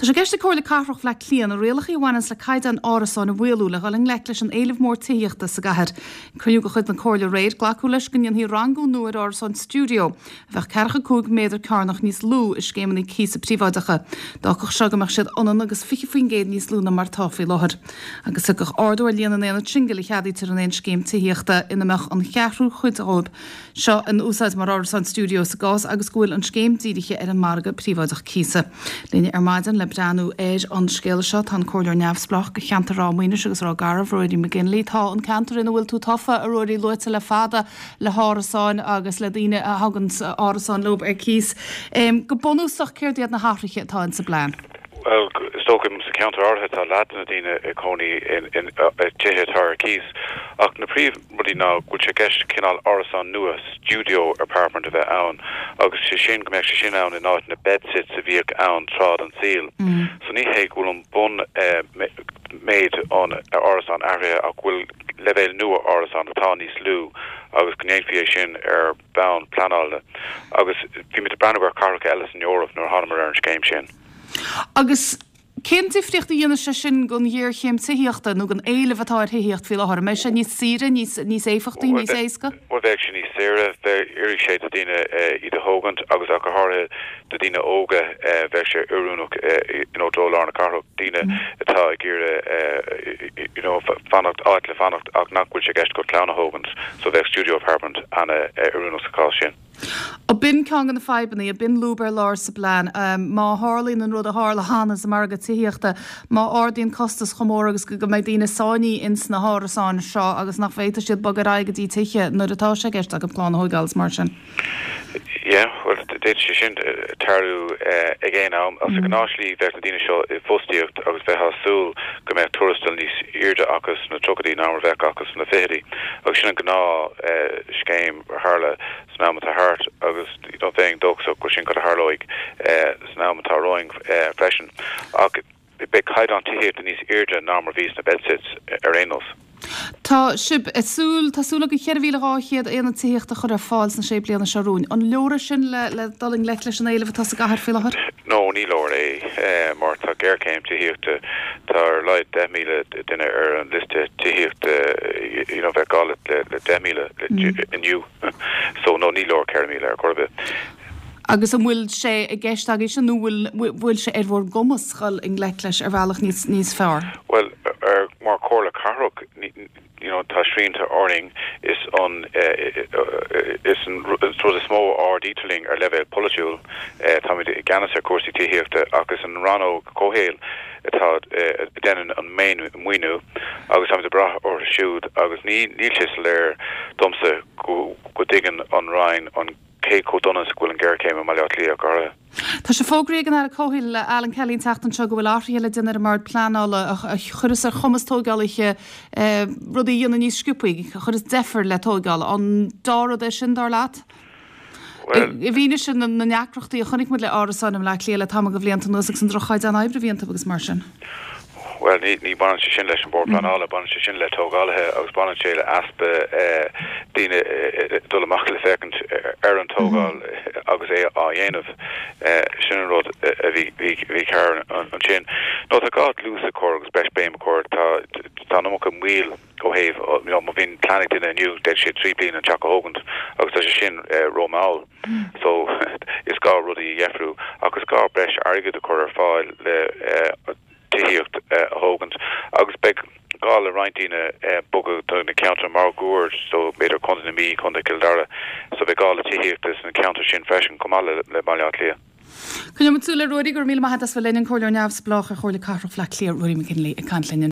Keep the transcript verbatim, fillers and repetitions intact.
Tá sé i gceist ag Comhairle Cathrach Bhaile Átha Cliath na rialacha a bhaineanns le caighdeán árasáin a mhaolú le dhul i ngleic leis an éileamh mór tithíochta sa gcathair. Cruinniú de chuid na Comhairle aréir glacadh leis go ndéanfaí rangú nua ar árasáin stiúideo, a bheadh ceathracha cúig méadar cearnach níos lú i scéimeanna cíosa príobháideacha. D'fhágfadh seo go mbeadh siad ionann agus fiche faoin gcéad níos lú ná mar atá faoi láthair. Agus thiocfadh ardú ar líon na n-aonad singil a cheadaítear in aon scéim tithíochta ina mbeadh an cheathrú cuid dóibh seo in úsáid mar árasáin stiúideo sa gcás agus go bhfuil an scéim dírithe ar an margadh príobháideach cíosa. Linn ar maidin le breathnú ar an scéal seo tá an comhairleoir neamhspleách do cheantar Ráth Maoinis agus Ráth Garbh Ruairí McGinley tá an ceantar ina bhfuil tú tofa a Ruairí luaite le fada le hárasáin agus le daoine a thugann árasáin leo ar cíos. Um, go bunúsach céard iad na hathruithe atá in sa bplean. Well is dócha sa ceantar áirithe tá leath na daoine ag cónaí in tithe atá ar cíos ach na príomhrudaí ná go bhfuil sé i gceist cineál árasán nua studio apartment a bheith ann agus sé sin go mbeadh sé sin ann in áit na bedsits a bhíodh ann tráth den saol. Mm. So ní hé go bhfuil an bun uh, méid an árasán athraithe ach go bhfuil leibhéal nua árasán atá níos lú agus go ndéanfaí é sin ar bhonn pleanála agus bhí muid ag breathnú ar cathracha eile san Eoraip nuair a thángamar ar an scéim sin. Agus cén difríocht a dhéanann sé sin don ghéarchéim tithíochta nó don éileamh atá ar thithíocht faoi láthair, mbeidh sé níos saoire níos níos éifeachtaí níos éasca? Well bheadh sé níos saoire oirfidh sé do daoine iad a thógaint agus ach go háirithe do daoine óga bheadh sé oiriúnach you know do lár na cathrach daoine atá ag iarraidh you know fanacht áit le fanacht ach nach bhfuil sé i gceist go clann a thógaint so bheadh studio apartment an-oiriúnach sa chás sin. Ó b'in ceann de na fadhbanna a b'in lúb ar lár sa bplean má tharlaíonn an rud a tharla cheana sa margadh tithíochta má ardaíonn costas chomh mór agus go mbeidh daoine sáinnithe ins na hárasáin seo agus nach bhféadfaidh siad bogadh ar aghaidh go dtí tithe nuair atá sé i gceist acu clann a thógáil is mar sin. Yeah, well d'fhéadfadh sé sin tarlú ag aon am as a gnáslí bheith na daoine seo i bhfostaíocht agus bheith ag súil go mbeadh tuarastal níos airde acu sna tríochaidí ná mar a bheadh acu sna fichidí agus sin an gnáth scéim tharla san am atá thart agus bheinn dóchasach go sin cad a tharlóidh san am atá romhainn freisin ach beidh caighdeán tithíochta níos airde ná mar bhí sna bedsits ar aon nós. Tá sibh ag súil tá súil go ceithre mhíle dhá chéad aonad tithíochta a chur ar fáil sna sé bliana seo romhainn. An leor é sin le le dul i ngleic leis an éileamh atá sa gcathair faoi láthair? No ní leor é mar tá géarchéim tithíochta tá ar a laghad deich míle duine ar an liosta tithíochta you know bheadh gá le le deich míle inniu so no ní leor ceithre míle ar chor ar bith. Agus an bhfuil sé i gceist agaibh sin nó bhfuil bhfuil sé ar bhur gcumas dul i ngleic leis ar bhealach níos níos fearr? Well ar mar Chomhairle Cathrach you know tá srianta orainn is an is an rud is mó a ordaítear linn ar leibhéal polaitiúil táimid i gceannas ar cúrsaí tithíochta agus an rannóg comhshaoil atá déanann an maoiniú agus táimid ag brath orthu siúd agus ní níl sé soiléir domsa go go dtuigeann an Roinn an cé chomh dona is go bhfuil an géarchéim i mBaile Átha Cliath go háirithe. Tá sé fógraithe ag an Aire Comhshaoil Alan Kelly an tseachtain seo go bhfuil athruithe le déanamh ar an mBord Pleanála a chuirfeas ar chumas tógálaithe rudaí a dhéanamh níos sciobtha, a chuirfeas deifir le tógáil. An dea-rud é sin dar leat? I bhfianaise na ndeacrachtaí a chonaic muid le árasáin i mBaile Átha Cliath le tamall de bhlianta anuas agus an droch-chaighdeán oibre a bhí iontu agus mar sin. Well ní ní baineann sé sin leis an bord pleanála, baineann sé sin le tógálaithe agus baineann sé le easpa daoine dul amach le féachaint ar an tógáil agus é á dhéanamh sin an rud a bhí bhí cearr ansin. No tá gá dlús a chur agus breis béim a chur tá tá an iomarca moill ó thaobh má bhíonn plean ag duine inniu d'fhéadfadh sé trí bliana an teach a thógaint agus tá sé sin rómhall. So is gá rudaí a dheifriú agus gá breis airgead a chur ar fáil le tithíocht a thógaint agus beidh gá le roinnt daoine bogadh do na ceantair máguaird so b'fhéidir Contae na Mí, Contae Chill Dara, so beidh gá le tithíochta sna ceantair sin freisin chomh maith le le Baile Átha Cliath. Coinneoidh muid súil air Ruairí go raibh míle maith agat as bheith linn an Comhairleoir Neamhspleách ar Chomhairle Cathrach Bhaile Átha Cliath Ruairí McGinley ag caint linn.